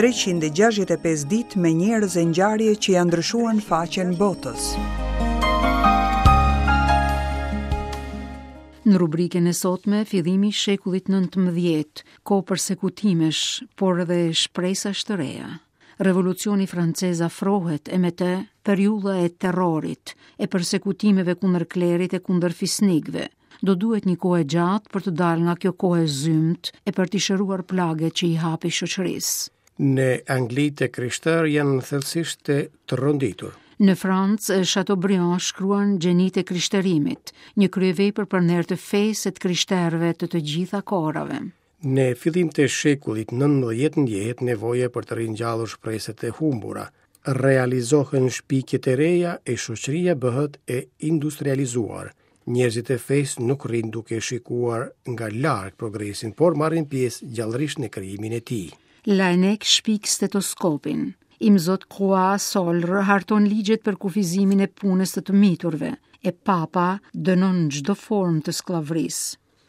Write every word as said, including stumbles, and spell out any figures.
treqind e gjashtëdhjetë e pesë ditë me njerëz e ngjarje që janë ndryshuar në faqen botës. Në rubrikën e sotme, fillimi i shekullit nëntëmbëdhjetë, kohë persekutimesh, por edhe shpresash të reja. Revolucioni francez afrohet e me të periudha e terrorit, e persekutimeve kundër klerit e kundër fisnikëve. Do duhet një kohë e gjatë për të dalë nga kjo kohë e zymtë e për t'i shëruar plaget që i hapi shoqërisë. Në Angli të krishterë janë thellësisht të tronditur. Në Francë, Chateaubriand shkruan Gjenitë e Krishterimit, një kryevepër për nder të fesë e të krishterëve të të gjitha kohërave. Në fillim të shekullit nëntëmbëdhjetë ndjehet nevoja për të ringjallur shpresat e humbura. Realizohen shpikjet e reja e shoqëria bëhet e industrializuar. Njerëzit e fesë nuk rrinë duke shikuar nga larg progresin, por marrin pjesë gjallërisht në krijimin e tij. Laennec shpik stetoskopin. Imzot Croix Solr harton ligjet për kufizimin e punës të të miturve, e Papa dënon çdo formë të skllavërisë.